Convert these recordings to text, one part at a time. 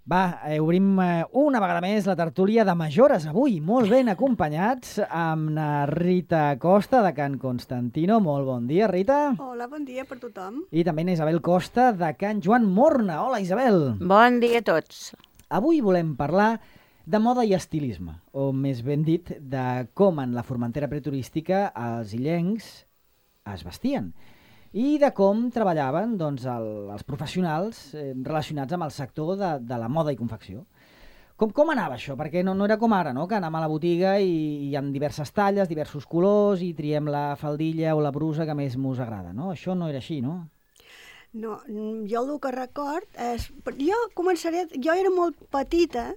Va, obrim una vegada més la tertúlia de Majores avui, molt ben acompanyats amb la Rita Costa de Can Constantino. Molt bon dia, Rita. Hola, bon dia per tothom. I també na Isabel Costa de Can Joan Morna. Hola, Isabel. Bon dia a tots. Avui volem parlar de moda i estilisme, o més ben dit, de com en la Formentera preturística els illencs es vestien i de com treballaven doncs, els professionals relacionats amb el sector de la moda i confecció. Com anava això? Perquè no era com ara, no? Que anem a la botiga i hi ha diverses talles, diversos colors i triem la faldilla o la brusa que més mos agrada, no? Això no era així, no? No, jo el que record és... Jo era molt petita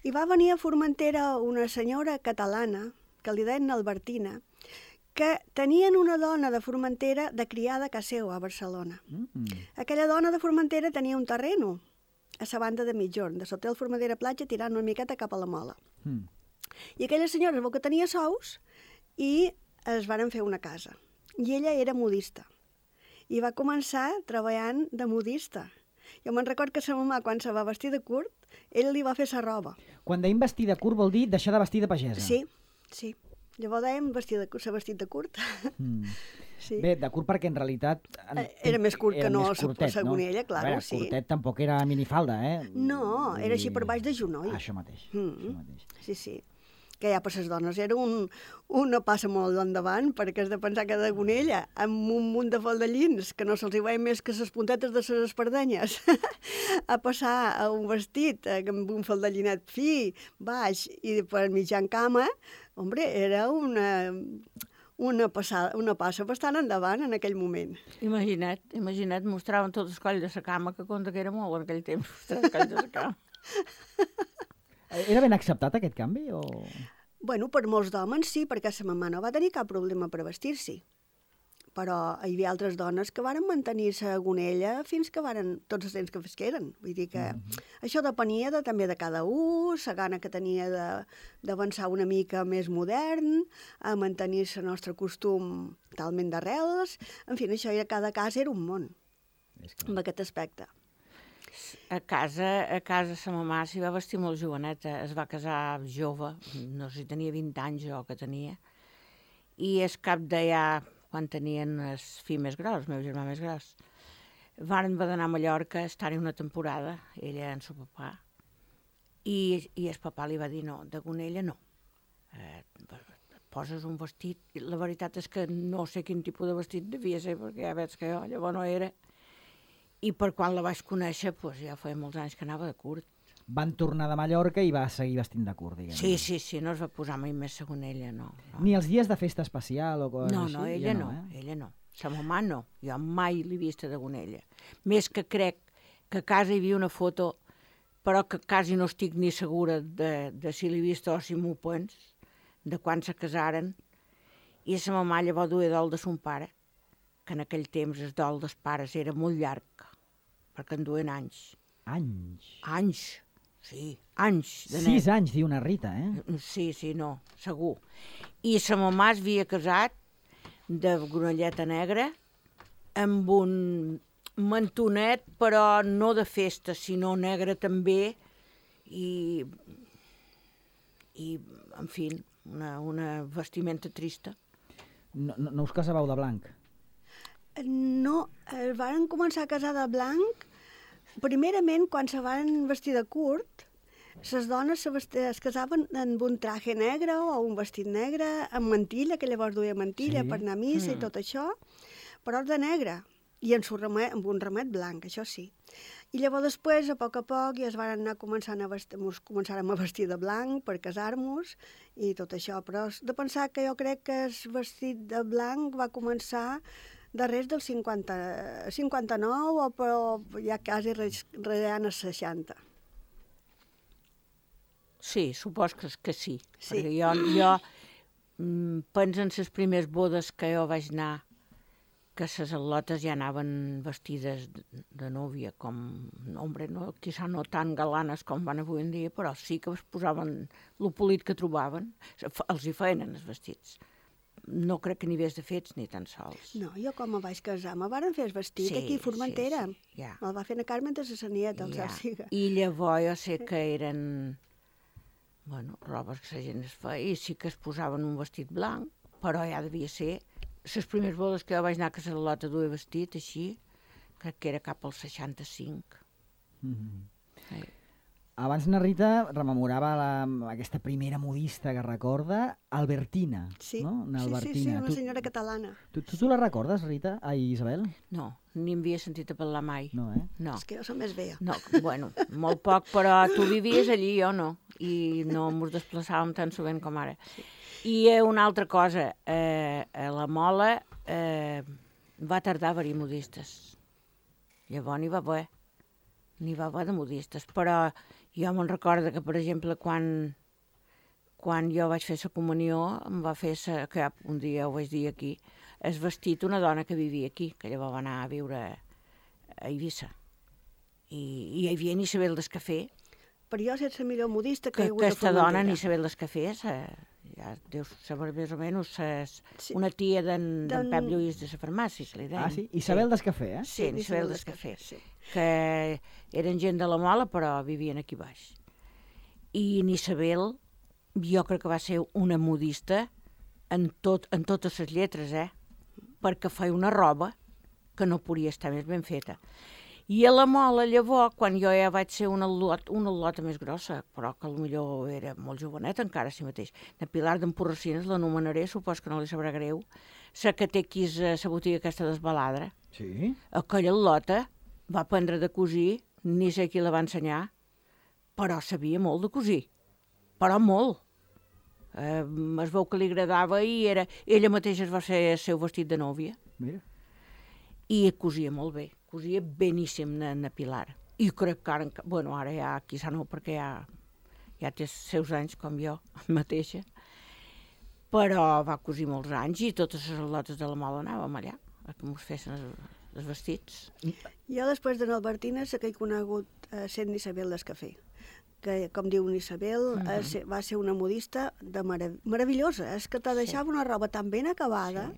i va venir a Formentera una senyora catalana, que li deien Albertina, que tenien una dona de Formentera de criada a casa seva, a Barcelona. Aquella dona de Formentera tenia un terreno a la banda de Mitjorn, de sota el Formentera Platja, tirant una miqueta cap a la Mola. I aquella senyora es veu que tenia sous i es varen fer una casa. I ella era modista. I va començar treballant de modista. Jo me'n record que sa mamà, quan se va vestir de curt, ell li va fer sa roba. Quan deim vestir de curt vol dir deixar de vestir de pagesa. Sí. Llavors dèiem s'ha vestit de curt. Sí. Bé, de curt perquè en realitat... Era més curt que no, curtet, segons ella, clar, veure, sí. Curtet tampoc era minifalda, eh? No, era així per baix de genoll. Això mateix, això mateix. Sí. Que ja per les dones era una passa molt endavant, perquè has de pensar que de Gonella, amb un munt de faldellins, que no se'ls hi veien més que les puntetes de les espardenyes, a passar a un vestit amb un faldellinet fi, baix i per mitjan cama, hombre, era una passa bastant endavant en aquell moment. Imagina't, mostraven tot el coll de la cama, que compte que era molt en aquell temps, mostrar el coll de la cama. Era ben acceptat aquest canvi? O... Bueno, per molts d'homes sí, perquè sa mamà no va tenir cap problema per vestir-s'hi. Però hi havia altres dones que varen mantenir-se a Gonella fins que varen tots els temps que fesqueren. Vull dir que això depenia també de cada un, la gana que tenia d'avançar una mica més modern, a mantenir-se el nostre costum talment d'arrels. En fi, això cada casa era un món, amb aquest aspecte. A casa sa mamà s'hi va vestir molt joveneta, es va casar jove, no sé si tenia 20 anys jo que tenia, i es cap d'allà, quan tenien el fill més gros, el meu germà més gros, van d'anar a Mallorca a estar-hi una temporada, ella en seu papà, i el papà li va dir no, de Gonella no, poses un vestit, i la veritat és que no sé quin tipus de vestit devia ser, perquè ja veig que jo llavors no era. I per quan la vaig conèixer, doncs ja feia molts anys que anava de curt. Van tornar de Mallorca i va seguir vestint de curt, diguem. Sí, no es va posar mai més segon ella, no. Ni els dies de festa especial o coses així? No, ella no. Sa mamà no. Jo mai l'he vista de Gonella. Més que crec que a casa hi havia una foto, però que quasi no estic ni segura de si l'he vista o si m'ho pens, de quan se casaren. I sa mamà llavors duia dol de son pare, que en aquell temps el dol dels pares era molt llarg, perquè en duen anys. Anys, sí, anys. 6 anys, diu una Rita, eh? Sí, no, segur. I sa mamà es havia casat de gonelleta negra amb un mantonet, però no de festa, sinó negre també, i en fi, una vestimenta trista. No us casàveu de blanc? No, varen començar a casar de blanc. Primerament, quan se van vestir de curt, les dones es casaven amb un traje negre o un vestit negre, amb mantilla, que llavors duia mantilla per anar a missa i tot això, però de negre, i amb un ramet blanc, això sí. I llavors després, a poc ja es van anar començàrem a vestir de blanc per casar-nos i tot això, però de pensar que jo crec que el vestit de blanc va començar darrere del 59, però ja quasi reant els 60. Sí, supos que sí. Perquè jo penso en les primeres bodes que jo vaig anar, que les al·lotes ja anaven vestides de núvia, quizà no tan galanes com van avui en dia, però sí que es posaven lo polit que trobaven, els hi feien els vestits. no crec que n'hi hagués de fets ni tan sols. No, jo com me vaig casar, me varen fer el vestit aquí a Formentera. Sí, ja. Me'l va fer na Carmen de la Sanieta, el cel siga. I llavors jo sé que eren, robes que la gent es feia, i sí que es posaven un vestit blanc, però ja devia ser... Les primeres bodes que jo vaig anar a Casa Lota a duer vestit, així, crec que era cap al 65. Sí. Abans na Rita rememorava aquesta primera modista que recorda, Albertina. Sí, no? sí, una senyora catalana. Tu la recordes, Rita? Ai, Isabel? No, ni em havia sentit a parlar mai. No, No. És que jo som més vella. No, molt poc, però tu vivies allí, jo no, i no ens desplaçàvem tan sovint com ara. Sí. I una altra cosa, a la Mola va tardar a haver-hi modistes. Llavors n'hi va haver de modistes, però jo me'n recordo que, per exemple, quan jo vaig fer la comunió, em va fer, que un dia ho vaig dir aquí, es vestit una dona que vivia aquí, que llavors va anar a viure a Eivissa. I hi havia Isabel d'Escafé. Per jo és la millor modista que hi ha hagut a Aquesta Formentera. dona, Isabel d'Escafé, ja deus saber més o menys, una tia d'en Pep Lluís de la farmàcia, que li deien. Ah, sí? Isabel d'Escafé, eh? Sí, Isabel d'Escafé. Sí. Que eren gent de la Mola, però vivien aquí baix. I Isabel, jo crec que va ser una modista en totes les lletres, perquè feia una roba que no podia estar més ben feta. I a la Mola, llavors, quan jo ja vaig ser una lota més grossa, però que potser era molt jovenet encara si mateix, de Pilar d'Emporracines, l'anomenaré, supos que no li sabrà greu, la que té aquí la botiga aquesta d'Esbaladra. Sí? Aquella lota va aprendre de cosir, ni sé qui la va ensenyar, però sabia molt de cosir, però molt. Es veu que li agradava i ella mateixa es va fer el seu vestit de nòvia. Mira. I cosia molt bé, cosia beníssim na Pilar. I crec que ara ja quizà no, perquè ja té els seus anys com jo mateixa, però va cosir molts anys i totes les lotes de la Mola anàvem allà, a que mos fessin els vestits. Jo després de l'Albertina sé que he conegut sent Isabel d'Escafé, que, com diu Isabel, va ser una modista meravellosa. És que te deixava una roba tan ben acabada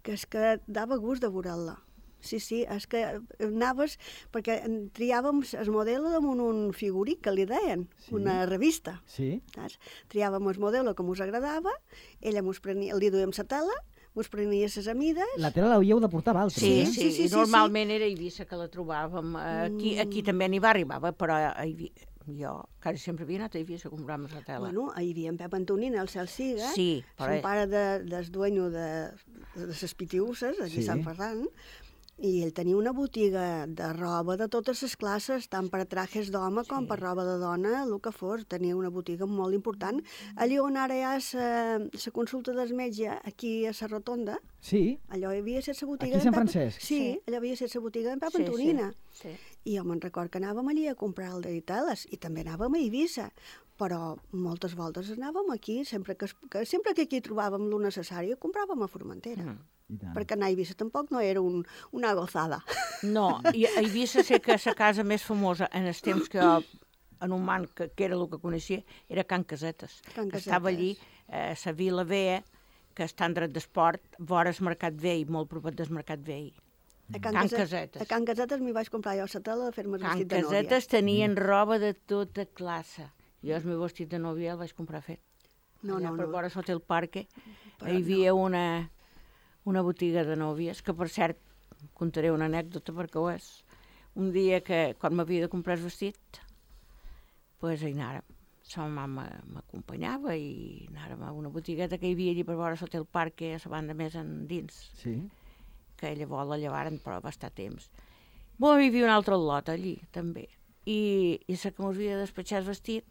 que és que dava gust de veure-la. Sí, és que anaves, perquè triàvem el model damunt un figurí que li deien, una revista. Sí. Saps? Triàvem el model que mos agradava, ella mos prenia, li duíem la tela, mos prenia les amides... La tela l'hauríeu de portar a Valtri, Sí, normalment era a Eivissa que la trobàvem. Aquí també n'hi va arribar, però jo quasi sempre havia anat a Eivissa a comprar-me la tela. Bueno, hi havia en Pep Antonina, el cel siga, però... son pare del dueño de les Pitiusses, allí a Sant Ferran, i ell tenia una botiga de roba de totes les classes, tant per a trajes d'home com per roba de dona, el que fos. Tenia una botiga molt important. Allà on ara hi ha la consulta del metge, aquí a la Rotonda, allò hi havia set la botiga... Aquí a Sant Francesc? Sí, allò havia set la botiga d'en Pep Antonina. I jo me'n record que anàvem allí a comprar el de teles, i també anàvem a Eivissa, però moltes voltes anàvem aquí, sempre que aquí trobàvem lo necessari, compràvem a Formentera. Perquè anar a Eivissa tampoc no era una gozada. No, i a Eivissa sé que la casa més famosa en els temps que jo, en un man que era el que coneixia, era Can Casetes. Estava allí, a la Vila Vea, que està en dret d'esport, vora el Mercat Vell, molt proper del Mercat Vell. Can Casetes. A Can Casetes m'hi vaig comprar jo la tela de fer-me el vestit de nòvia. Can Casetes tenien roba de tota classe. Jo el meu vestit de nòvia el vaig comprar fet. No. Per vora sota el parque hi havia una botiga de nòvies, que per cert, contaré una anècdota perquè ho és. Un dia que, quan m'havia de comprar el vestit, doncs anàrem. La mama m'acompanyava i anàrem a una botigueta que hi havia allí per vora sota el parque, a la banda més endins. Sí. que llavors la llevaren, però va estar temps. Bon, hi havia un altre lot allí, també. I la que mos havia despatxat el vestit,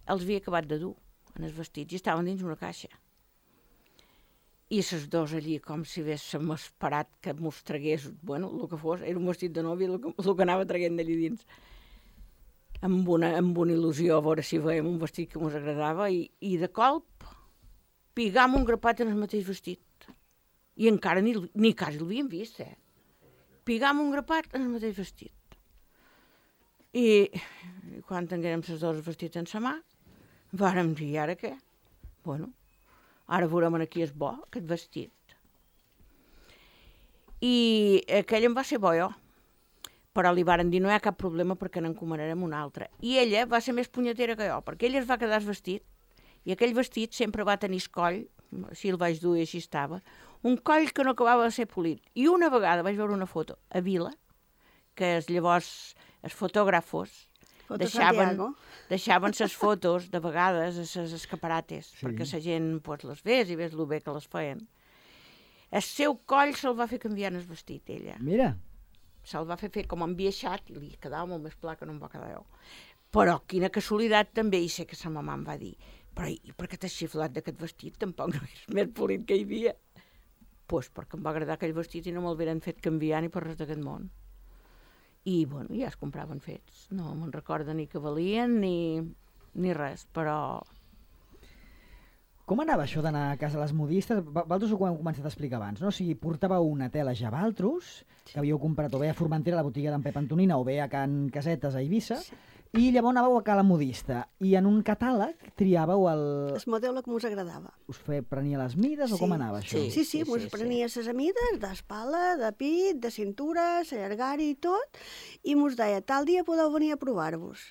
els havia acabat de dur en els vestits i estaven dins una caixa. I les dos allí, com si haguéssim esperat que mos tragués, bueno, el que fos, era un vestit de nòvia, el que anava traguent d'allí dins. Amb una il·lusió, a veure si veiem un vestit que mos agradava, i de colp, pigam un grapat en el mateix vestit. I encara ni quasi l'havíem vist, Pigam un grapat en el mateix vestit. I quan tinguérem les dos vestits en sa mà, vàrem dir, ara què? Bueno, ara veurem aquí és bo, aquest vestit. I aquell em va ser bo jo, però li varen dir no hi ha cap problema perquè n'encomanarem un altre. I ella va ser més punyetera que jo, perquè ella es va quedar vestit, i aquell vestit sempre va tenir coll, així el vaig dur i així estava, un coll que no acabava de ser polit. I una vegada vaig veure una foto a Vila, que llavors els fotògrafos deixaven ses fotos de vegades a ses escaparates, perquè la gent les ves i ves el bé que les feien. El seu coll se'l va fer canviar en el vestit, ella. Mira. Se'l va fer com enviaixat i li quedava molt més pla que no em va quedar jo. Però quina casualitat també, i sé que sa mamà em va dir, però i per què t'has xiflat d'aquest vestit? Tampoc no és més polit que hi havia. Doncs perquè em va agradar aquell vestit i no me'l veren fet canviar ni per res d'aquest món. I, bueno, ja es compraven fets. No me'n recorda ni que valien ni res, però... Com anava això d'anar a casa les modistes? Vosaltres ho hem començat a explicar abans, no? O sigui, portàveu una tela ja a Valtros, que havíeu comprat o bé a Formentera, a la botiga d'en Pep Antonina, o bé a Can Casetes, a Eivissa, i llavors anàveu a la modista, i en un catàleg triàveu el... El model que us agradava. Us prenia les mides o com anava això? Sí, us prenia les mides d'espala, de pit, de cintura, l'allargari i tot, i us deia, tal dia podeu venir a provar-vos.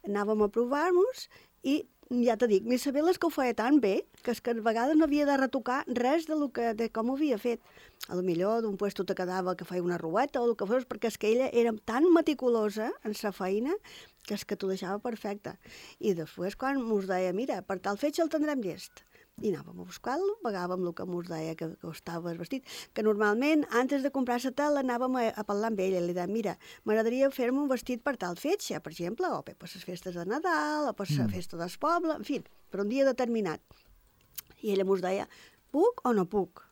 Anàvem a provar-nos i ja te dic, ni saber les que ho feia tan bé, que és que a vegades no havia de retocar res de com ho havia fet. A lo millor d'un puesto te quedava que feia una rueta o el que fos, perquè és que ella era tan meticulosa en sa feina que és que t'ho deixava perfecte. I després quan mos deia, mira, per tal fetge el tindrem llest. I anàvem a buscar-lo, pagàvem el que mos deia que costava el vestit, que normalment, antes de comprar la tela, anàvem a parlar amb ella, i li deia, mira, m'agradaria fer-me un vestit per tal fetge, per exemple, o per les festes de Nadal, o per la festa del poble, en fi, per un dia determinat. I ella mos deia, puc o no puc?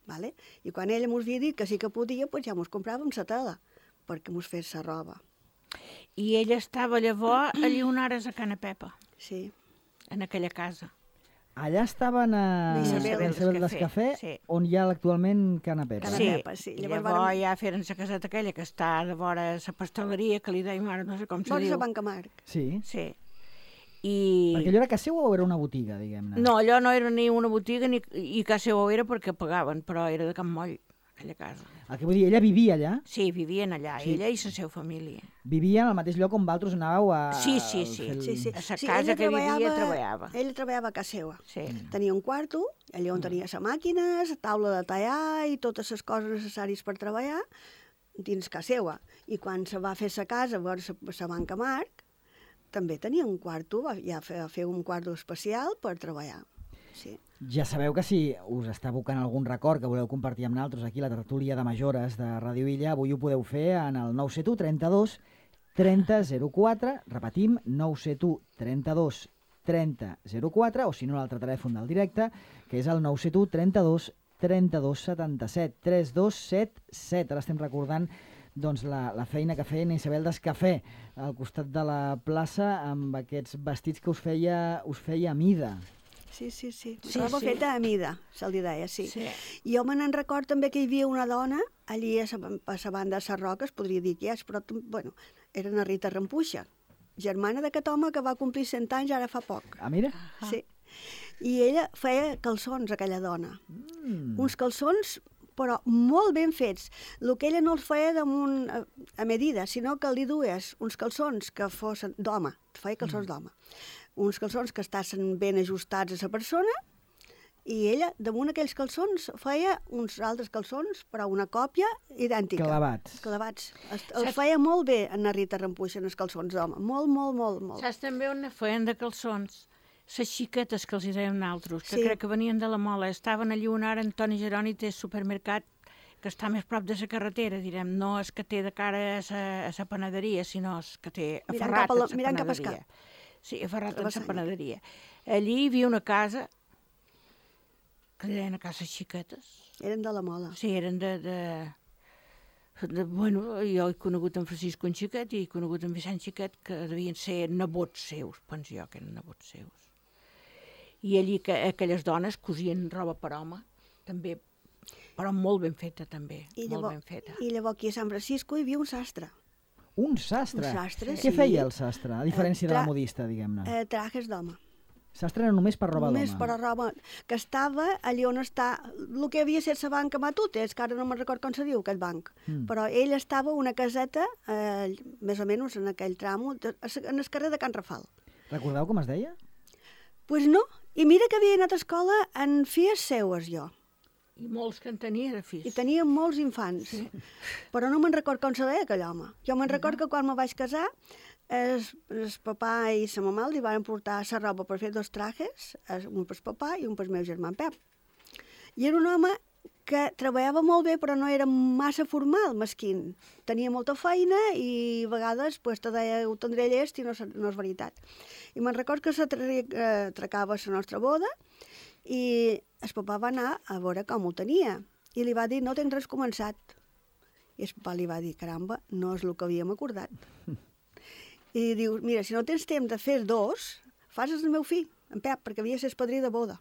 Vale? I quan ella mos havia dit que sí que podia, doncs ja mos compràvem la tela, perquè mos fes la roba. I ella estava llavors a Lleonares a Cana Pepa. Sí. En aquella casa. Allà estaven a Isabel d'Escafé, on hi ha actualment Cana Pepa. Sí. Llavors ja feren la caseta aquella que està de vora la pasteleria, que li deim ara, no sé com se diu. Vora la Banca Marc. Sí. Perquè allò era casa seva o era una botiga, diguem-ne? No, allò no era ni una botiga i casa seva era perquè pagaven, però era de Can Moll, aquella casa. El que vull dir, ella vivia allà? Sí, vivien allà, ella i la seva família. Vivien al mateix lloc on vosaltres anàveu a... Sí. A la casa que vivia treballava. Ella treballava a casa seva. Sí. Tenia un quarto, allà on tenia la màquina, la taula de tallar i totes les coses necessàries per treballar dins casa seva. I quan se va fer la casa, a la Banca Marc, també tenia un quarto, ja fer un quarto especial per treballar. Sí. Ja sabeu que si us està evocant algun record que voleu compartir amb nosaltres aquí a la tertúlia de Majores de Ràdio Illa, avui ho podeu fer en el 971 32 30 04, repetim, 971 32 30 04, o si no l'altre telèfon del directe, que és el 971 32 32 77 3277. Ara estem recordant doncs, la feina que feien Isabel d'Escafé al costat de la plaça amb aquests vestits que us feia a mida. Sí. Roba feta a mida, se'l deia, sí. Jo me n'en record també que hi havia una dona allí a la banda de les Roques, podria dir que és, però bueno, era una Rita Rampuixa, germana d'aquest home que va complir 100 anys ara fa poc. Ah, mira? Sí. I ella feia calçons, aquella dona. Uns calçons, però molt ben fets. El que ella no els feia damunt a medida, sinó que li dues uns calçons que fossin d'home, feia calçons d'home. Uns calçons que estassin ben ajustats a la persona, i ella, damunt aquells calçons, feia uns altres calçons, però una còpia idèntica. Clavats. Els feia molt bé en la Rita Rampuixa, en els calçons d'home. Molt. Saps també on feien de calçons? Les xiquetes que els hi dèiem nosaltres, que crec que venien de la Mola, estaven allí on ara Antoni Geroni té supermercat, que està més prop de la carretera, direm, no és que té de cara a la panaderia, sinó és que té aferrat a la panaderia. Mirant cap al cap. Sí, aferrat a la panaderia. Allí hi havia una casa, que li deien a cases xiquetes. Eren de la Mola. Sí, eren bueno, jo he conegut en Francisco en Xiquet i he conegut en Vicent Xiquet, que devien ser nebots seus, penso jo que eren nebots seus. I allí aquelles dones cosien roba per home, també, però molt ben feta també, molt ben feta. I llavors aquí a Sant Francisco hi havia un sastre. Un sastre? Un sastre, Què feia el sastre, a diferència de la modista, diguem-ne? Trajes d'home. S'estrena només per roba d'home. Només per roba, que estava allà on està, el que havia estat la banca Matutes, que ara no me'n record com se diu aquest banc, però ell estava una caseta, més o menys en aquell tramo, en el carrer de Can Rafal. Recordeu com es deia? Pues no, i mira que havia anat a escola en filles seues jo, I molts que en tenia de fills. i tenia molts infants, però no me'n record com se deia aquell home. Jo me'n record que quan me vaig casar, el papà i la mamà li van portar la roba per fer 2 trajes, un per papà i un per meu germà en Pep. I era un home que treballava molt bé, però no era massa formal, mesquin. Tenia molta feina i a vegades pues, te deia ho tindré llest i no és veritat. I me'n record que s'atracava la nostra boda i el papà va anar a veure com ho tenia i li va dir no tens res començat. I el papà li va dir caramba, no és el que havíem acordat. I diu, mira, si no tens temps de fer 2, fas el meu fill, en Pep, perquè havia de ser el padrí de boda.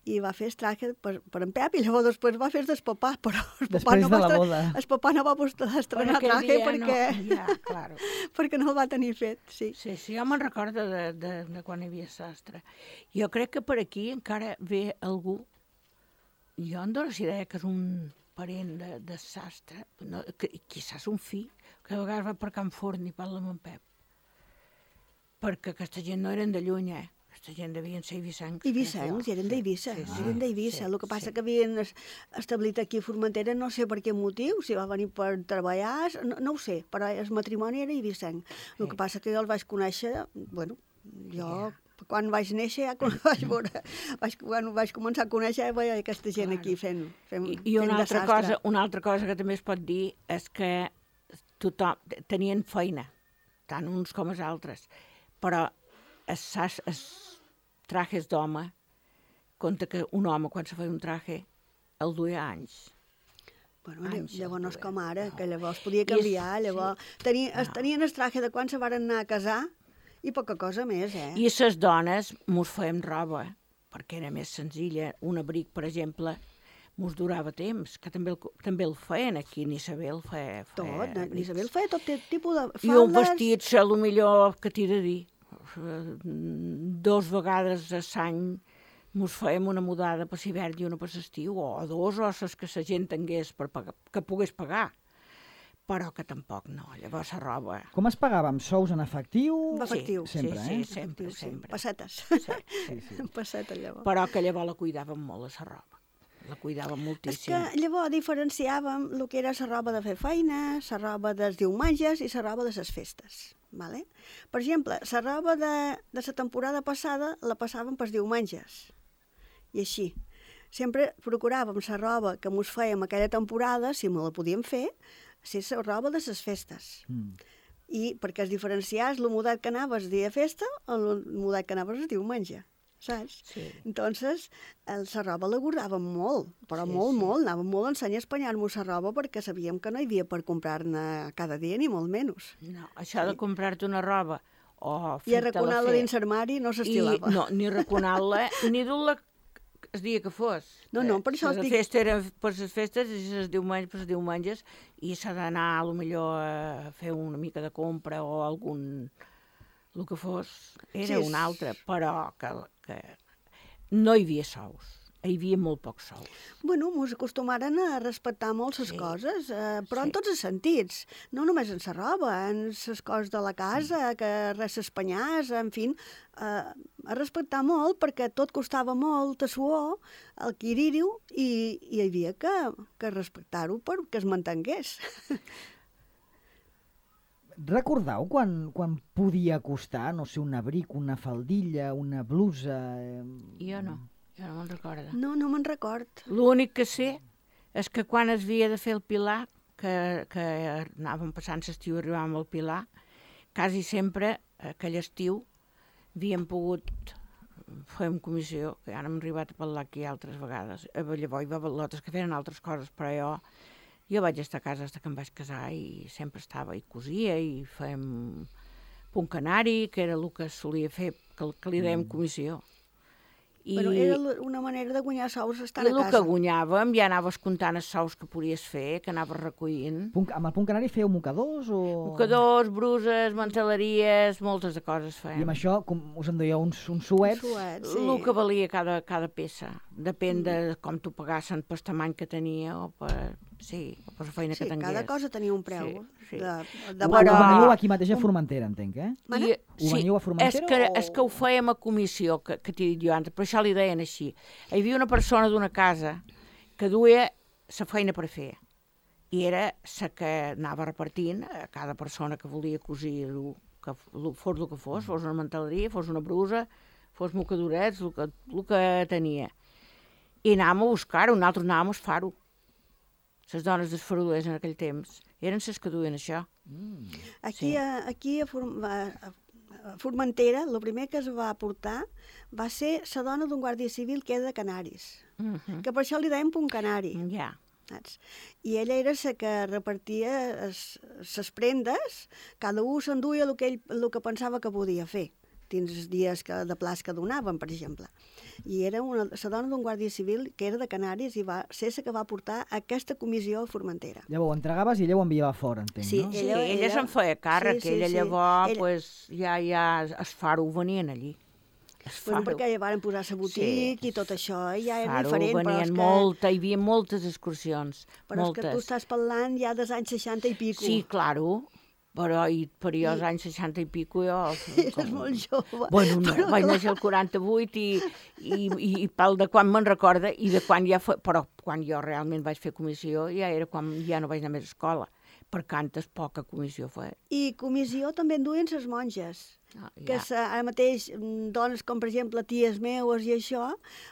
I va fer el traje per en Pep i llavors després va fer el papà, però el papà Després de la boda. El papà no va estrenar traje Claro. perquè no el va tenir fet, sí. Sí, jo me'n recordo de quan hi havia sastre. Jo crec que per aquí encara ve algú, jo em dono la idea que és un parent de sastre, no, quizás un fill, que a vegades va per Can Forn i parla amb en Pep. Perquè aquesta gent no eren de lluny, Aquesta gent devien ser eivissencs. Eivissencs, eren d'Eivissa, eren d'Eivissa. El que passa que havien establit aquí a Formentera, no sé per quin motiu, si va venir per treballar, no ho sé, però el matrimoni era eivissenc. El que passa que jo el vaig conèixer, bueno, jo... Quan vaig néixer, ja quan vaig començar a conèixer, veia aquesta gent aquí fent I una altra cosa que també es pot dir és que tothom tenien feina, tant uns com els altres, però els trajes d'home, compta que un home, quan se feia un traje, el duia anys. Bueno, llavors no és com ara, que llavors podia canviar, llavors tenien el traje de quan se van anar a casar, i poca cosa més, I les dones mos fèiem roba, perquè era més senzilla. Un abric, per exemple, mos durava temps, que també el feien aquí, n'Isabel feia tot, n'Isabel feia tot tipus de faldes. I un vestit, el millor que t'he de dir, 2 vegades a l'any mos fèiem una mudada per l'hivern i una per l'estiu, o 2, o les que la gent tingués que pogués pagar. Però que tampoc no, llavors la roba... Com es pagava? Amb sous en efectiu? Efectiu. Sempre, sí, sempre. Pessetes. Sí. Pessetes, llavors. Però que llavors la cuidàvem molt, la roba. La cuidàvem moltíssim. És que llavors diferenciàvem el que era la roba de fer feina, la roba dels diumenges i la roba de les festes. Vale? Per exemple, la roba de la temporada passada la passàvem pels diumenges. I així. Sempre procuràvem la roba que mos fèiem aquella temporada, si me la podíem fer, ser la roba de les festes. I perquè es diferenciàs el mudat que anaves dia de festa o el mudat que anaves el diumenge, saps? Sí. Entonces, la roba la guardàvem molt, però molt, anàvem molt a ensenyar a espanyar-nos la roba perquè sabíem que no hi havia per comprar-ne cada dia, ni molt menys. No, això de comprar-te una roba o i arraconar-la dins l'armari no s'estilava. No, ni arraconar-la, ni dur-la el dia que fos. No, per això els dic... La festa era per les festes i els diumenges per els diumenges i s'ha d'anar potser a fer una mica de compra o algun... el que fos, era un altre, però que no hi havia sous. Hi havia molt pocs sous. Bueno, ens acostumaren a respectar molt les coses, però en tots els sentits. No només en la roba, en les coses de la casa, que res s'espanyàs, en fi, a respectar molt perquè tot costava molt de suor, el quirir-ho, i hi havia que respectar-ho perquè es mantengués. Recordeu quan podia costar, no sé, un abric, una faldilla, una blusa... Jo no me'n recordo. No me'n record. L'únic que sé és que quan es havia de fer el pilar, que anàvem passant l'estiu i arribàvem al pilar, quasi sempre, aquell estiu, havíem pogut fer una comissió, que ja n'hem arribat a parlar aquí altres vegades. Llavors hi va haver lotes que feien altres coses, però jo vaig estar a casa fins que em vaig casar i sempre estava i cosia i fèiem punt canari, que era el que solia fer, que li dèiem comissió. Però era una manera de guanyar sous estant I a el que casa. guanyàvem ja anaves comptant els sous que podies fer, que anaves recollint. Amb el punt canari fèieu mocadors o...? Mocadors, bruses, manteleries, moltes de coses I fèiem. amb això us enduieu uns suets? Suet, sí. El que valia cada peça. Depèn de com t'ho pagassin per tamany que tenia o per la feina que Sí, tingués. cada cosa tenia un preu. Sí. De Ho Però- veniu aquí mateix a Formentera, entenc, eh? Mana? Ho veniu a Formentera és que ho fèiem a comissió, que t'he dit jo antes, per això li deien així. Hi havia una persona d'una casa que duia la feina per fer i era la que anava repartint a cada persona que volia cosir-ho, que fos el que fos una manteleria, fos una brusa, fos mocadorets, el que tenia. I anàvem a buscar-ho, nosaltres anàvem a esfar-ho. Les dones desfarolers en aquell temps eren les que duien això. Aquí, Sí. aquí a Formentera, el primer que es va portar va ser la dona d'un guàrdia civil que era de Canaris, que per això li deien punt canari. Ja. Saps? I ella era la que repartia les prendes, cada un s'enduia el que pensava que podia fer, dins els dies de plaç que donaven, per exemple. I era la dona d'un guàrdia civil que era de Canaris i va ser la que va portar aquesta comissió a Formentera. Llavors ho entregaves i ella ho enviava fora, entenc, Sí, no? Sí, ella se'n feia càrrec, ella llavors pues, ja els faro venien allí. Bueno, perquè ja van posar la botiga i tot això, i ja era Faro diferent. venien hi havia moltes excursions, Però moltes. és que tu estàs parlant ja dels anys 60 i pico. Sí, claro, però jo als anys 60 i pico jo... Eres molt jove. Bueno, no, vaig néixer al 48 i pel de quan me'n recorda i de quan ja però quan jo realment vaig fer comissió ja era quan ja no vaig anar més a escola, per cantes poca comissió feia. I comissió també en duien les monges. Que ara mateix dones com, per exemple, ties meues i això,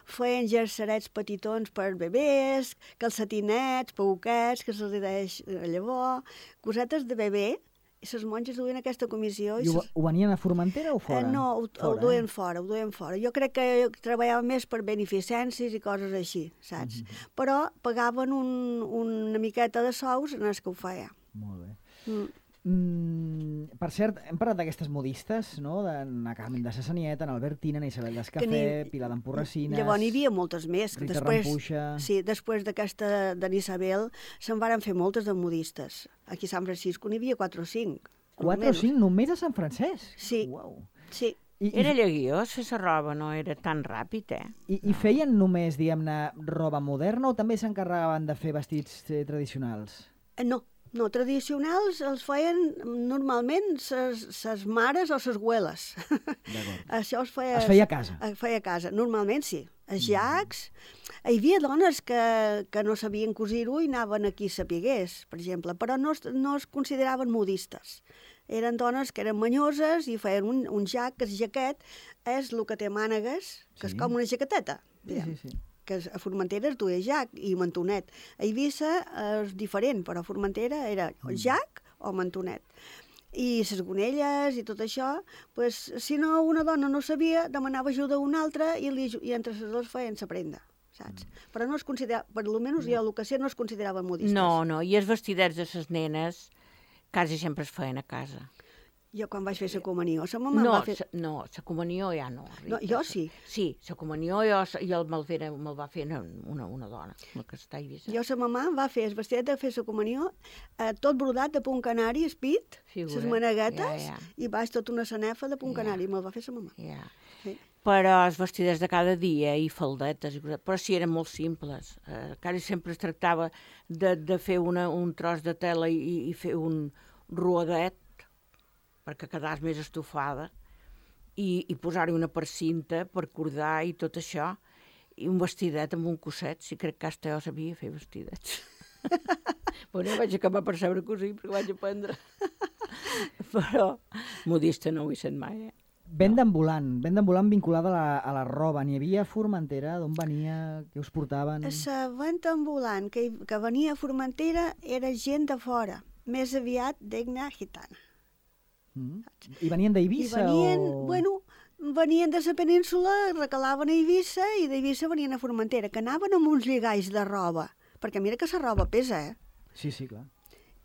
feien jersarets petitons per bebès, calcetinets, pauquets, que se'ls deix llavors, cosetes de bebè, i les monges duien aquesta comissió. I ho venien a Formentera o fora? No, ho duien fora, ho duien fora. Jo crec que treballaven més per beneficències i coses així, saps? Però pagaven una miqueta de sous en els que ho feia. Molt bé. Per cert, hem parlat d'aquestes modistes, no? De Carmen de Sassanieta, Albertina, Isabel d'Escafé, Pilar d'Emporracines... Llavors n'hi havia moltes més. Rita Rampuixa... Sí, després d'aquesta d'en Isabel se'n varen fer moltes de modistes. Aquí a Sant Francisco n'hi havia 4 o 5. 4 o 5 només a Sant Francesc? Sí, Uau. sí. Era lleguiós fer la roba, no era tan ràpid, eh? I feien només, diguem-ne, roba moderna o també s'encarregaven de fer vestits tradicionals? No, tradicionals els feien normalment ses mares o ses güeles. Això es feia a casa? Es feia a casa, normalment sí. Els llacs... Hi havia dones que no sabien cosir-ho i anaven a qui sapigués, per exemple, però no es consideraven modistes. Eren dones que eren manyoses i feien un jac, que el jaquet és el que té mànegues, que és com una jaqueteta. Sí. Que a Formentera es duia jac i mantonet. A Eivissa és diferent, però a Formentera era jac o mantonet. I les gonelles i tot això, pues, si no una dona no sabia, demanava ajuda a una altra i entre les dues feien la prenda, saps? Però no es considerava, per almenys jo el que sé, no es consideraven modistes. No, i els vestidets de les nenes quasi sempre es feien a casa. Jo quan vaig fer la comunió, la mama va fer... No, la comunió ja no. Rita. No, jo sí. Sí, la comunió me'l va fer una dona, la que està a Eivissa. Jo, la mamà va fer el vestidet de fer la comunió, tot brodat de punt canari, espit, les maneguetes, i baix tota una sanefa de punt canari, me'l va fer la mamà. Ja. Sí. Però els vestidets de cada dia i faldetes, però sí eren molt simples. Quasi sempre es tractava de fer un tros de tela i fer un rodet, perquè quedàs més estofada, i posar-hi una percinta per cordar i tot això, i un vestidet amb un cosset, si crec que hasta jo sabia fer vestidets. Bueno, vaig acabar per saber cosir, perquè vaig aprendre. Però modista no ho he sent mai, eh? Venda ambulant vinculada a la roba. N'hi havia a Formentera? D'on venia? Què us portaven? La venda ambulant que venia a Formentera era gent de fora, més aviat d'Egna Gitana. I venien d'Eivissa? Venien de la península, recalaven a Eivissa i d'Eivissa venien a Formentera, que anaven amb uns lligalls de roba, perquè mira que la roba pesa, eh? Sí, clar.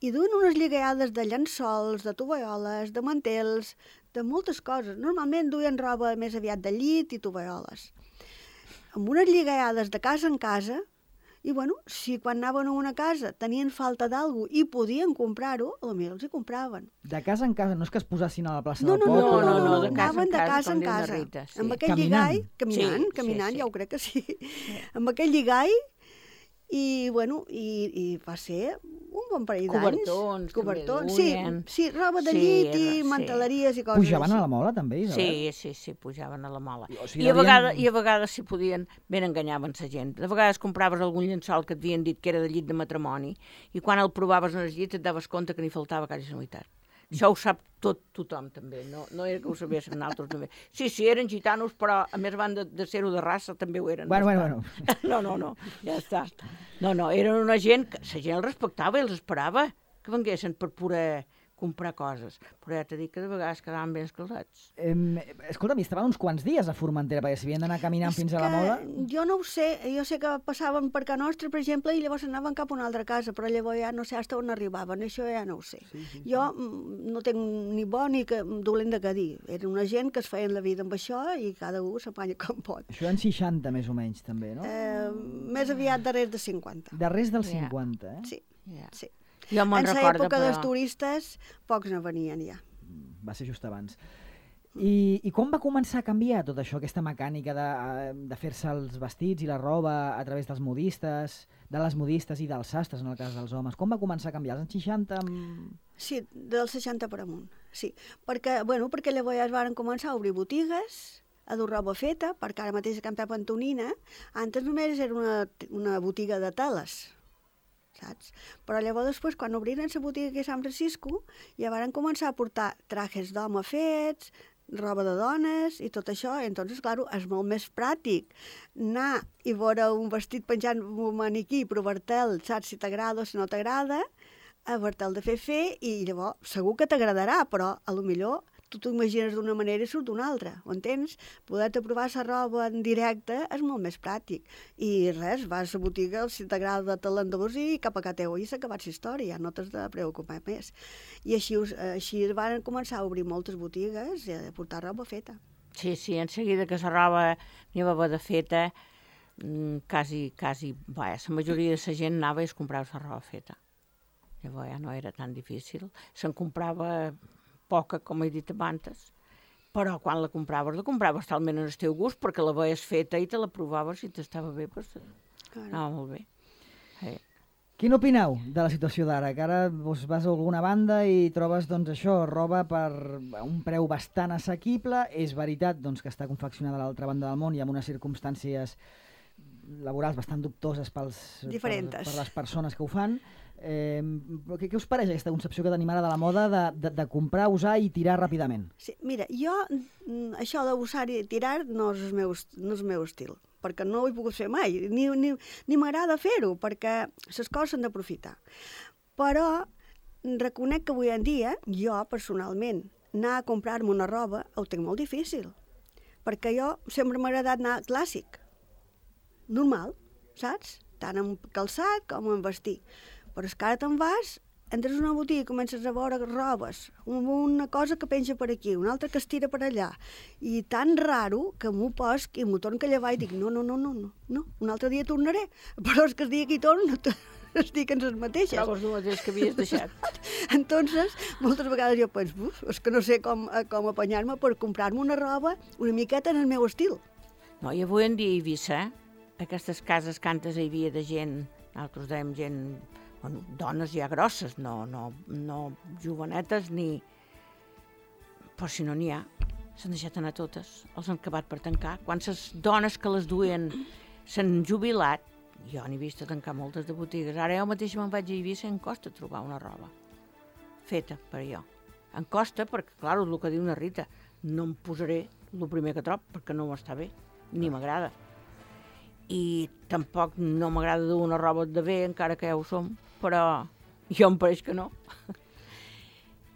I duen unes lligallades de llençols, de tovalloles, de mantels, de moltes coses. Normalment duien roba més aviat de llit i tovalloles. amb unes lligades de casa en casa, i bueno, si quan anaven a una casa tenien falta d'algú i podien comprar-ho, potser els hi compraven. De casa en casa, no és que es posessin a la plaça No, del poble? no, de casa anaven en de casa, casa com en diu la casa. Rita, sí. Amb aquell Caminant. lligall, caminant, Sí, caminant, sí. ja ho crec que sí. Amb aquell lligall, i bueno, i va ser un bon parell d'anys. Cobertons, també duien. Sí, roba de Sí, llit i sí. manteleries i coses Pujaven així. a la mola, també, Isabel? Sí, pujaven a la mola. O sigui, I a vegades, si podien, ben enganyaven la gent. De vegades compraves algun llençol que et havien dit que era de llit de matrimoni i quan el provaves en el llit et daves compte que n'hi faltava quasi la meitat. Això ho sap tothom, també. No era que ho sabéssim nosaltres, també. Sí, eren gitanos, però a més van de ser-ho de raça, també ho eren. Bueno. No, ja està. No, eren una gent que la gent els respectava i els esperava que venguessin per poder comprar coses. Però ja t'he dit que de vegades quedaven ben escaldats. Escolta'm, estaven uns quants dies a Formentera, perquè si havien d'anar caminant fins a la mola... Jo no ho sé, jo sé que passaven per Can Nostra, per exemple, i llavors anaven cap a una altra casa, però llavors ja no sé fins on arribaven, això ja no ho sé. Jo no tinc ni bo ni dolent de què dir. Era una gent que es feien la vida amb això i cada un s'apanya com pot. Això en 60, més o menys, també, no? Més aviat darrere de 50. Darrers dels 50, eh? Sí, Ja. sí. Jo me'n En recordo, l'època però... dels turistes, pocs no venien ja. Va ser just abans. I com va començar a canviar tot això, aquesta mecànica de fer-se els vestits i la roba a través dels modistes, de les modistes i dels sastres, en el cas dels homes? Com va començar a canviar? Als anys 60? Sí, dels 60 per amunt, sí. Perquè llavors ja es van començar a obrir botigues, a dur roba feta, perquè ara mateix a Can Pep Antonina, antes només era una botiga de teles, saps? Però llavors després, quan obriren la botiga aquí a Sant Francisco, ja van començar a portar trajes d'home fets, roba de dones i tot això, i entonces, clar, és molt més pràctic anar i veure un vestit penjant un maniquí i provar-te'l, saps si t'agrada o si no t'agrada, a veure-te'l de fer, i llavors segur que t'agradarà, però a lo millor tu t'ho imagines d'una manera i surt d'una altra, ho entens? Poder-te provar la roba en directe és molt més pràctic. I res, vas a la botiga, si t'agrada te l'endús i cap a casa teu i s'ha acabat la història, ja no t'has de preocupar més. I així van començar a obrir moltes botigues i a portar roba feta. Sí, en seguida que la roba n'hi va haver de feta, quasi, la majoria de la gent anava i es comprava la roba feta. Llavors ja no era tan difícil. Se'n comprava poca, com he dit abans, però quan la compraves talment en el teu gust, perquè la veies feta i te la provaves i t'estava bé, doncs anava molt bé. Quin opineu de la situació d'ara? Que ara vas a alguna banda i trobes això, roba per un preu bastant assequible. És veritat que està confeccionada a l'altra banda del món i amb unes circumstàncies laborals bastant dubtoses per les persones que ho fan. Què us pareix aquesta concepció que tenim ara de la moda de comprar, usar i tirar ràpidament? Sí, mira, jo això d'usar i tirar no és el meu estil, perquè no ho he pogut fer mai, ni m'agrada fer-ho, perquè les coses s'han d'aprofitar. Però reconec que avui en dia, jo personalment, anar a comprar-me una roba ho tinc molt difícil, perquè jo sempre m'ha agradat anar clàssic, normal, saps? Tant en calçat com en vestir. Però és que ara te'n vas, entres a una botiga i comences a veure robes, una cosa que penja per aquí, una altra que es tira per allà, i tan raro que m'ho posc i m'ho torno a llevar i dic no, un altre dia tornaré, però és que el dia que hi torno estic en les mateixes. Trobes el mateix que havies deixat. Entonces, moltes vegades jo penso, és que no sé com apanyar-me per comprar-me una roba una miqueta en el meu estil. No, i avui en dia a Eivissa, aquestes cases que antes hi havia de gent, nosaltres dèiem gent, dones ja grosses, no jovenetes ni... Però si no n'hi ha, s'han deixat anar totes, els han acabat per tancar. Quan les dones que les duien s'han jubilat, jo n'he vist a tancar moltes de botigues. Ara jo mateix me'n vaig a Eivissa i em costa trobar una roba feta per jo. Em costa perquè, clar, el que diu una Rita, no em posaré el primer que trob perquè no m'està bé, ni m'agrada. I tampoc no m'agrada dur una roba de bé, encara que ja ho som, però jo em pareix que no.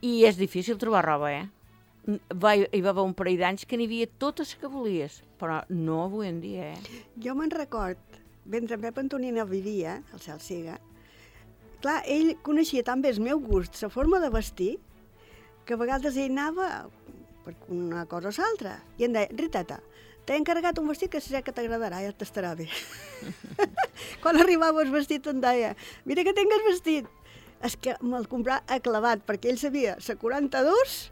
I és difícil trobar roba, Hi va haver un parell d'anys que n'hi havia totes que volies, però no avui en dia, Jo me'n record, mentre en Pep Antonina vivia, al Cel Siga, clar, ell coneixia tan bé el meu gust, la forma de vestir, que a vegades ell anava per una cosa o l'altra, i em deia, Riteta, t'he encarregat un vestit que sé que t'agradarà, ja t'estarà bé. Quan arribava el vestit em deia, mira que tingues vestit. És que me'l comprà aclavat, perquè ell sabia la 42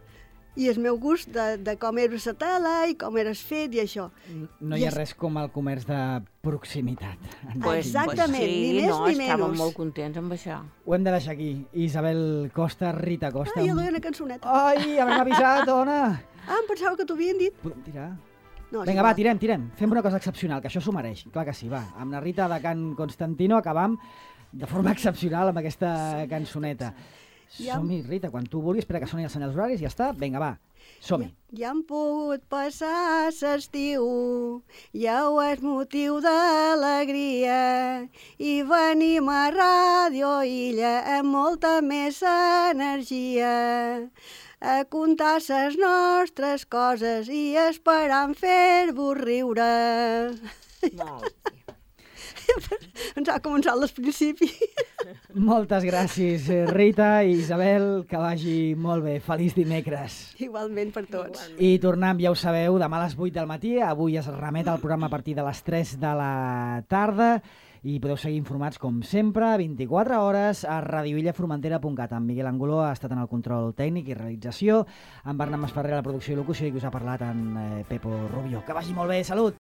i el meu gust de com era la tela i com eres fet i això. No hi ha res com el comerç de proximitat. Exactament, sí, ni més ni menys. Estàvem molt contents amb això. Ho hem de deixar aquí. Isabel Costa, Rita Costa. Jo duia una cançoneta. Ai, ja m'hem avisat, dona! Em pensava que t'ho havien dit. Podem tirar? No, Vinga, va, tirem. Fem una cosa excepcional, que això s'ho mereix. Clar que sí, va. Amb la Rita de Can Constantino acabam de forma excepcional amb aquesta cançoneta. Som-hi, Rita, quan tu vulguis, espera que soni els senyals horaris i ja està. Vinga, va, som-hi. Ja hem pogut passar l'estiu, ja ho és motiu d'alegria, i venim a Ràdio Illa amb molta més energia, a contar les nostres coses i esperant fer-vos riure. Molt bé. Ens ha començat al principi. Moltes gràcies, Rita i Isabel, que vagi molt bé. Feliç dimecres. Igualment per tots. I tornem, ja ho sabeu, demà a les 8 del matí. Avui es remet el programa a partir de les 3 de la tarda i podeu seguir informats, com sempre, 24 hores a radioillaformentera.cat. En Miguel Angoló ha estat en el control tècnic i realització, en Bernat Masferrer a la producció i locució i que us ha parlat en Pepo Rubio. Que vagi molt bé, salut!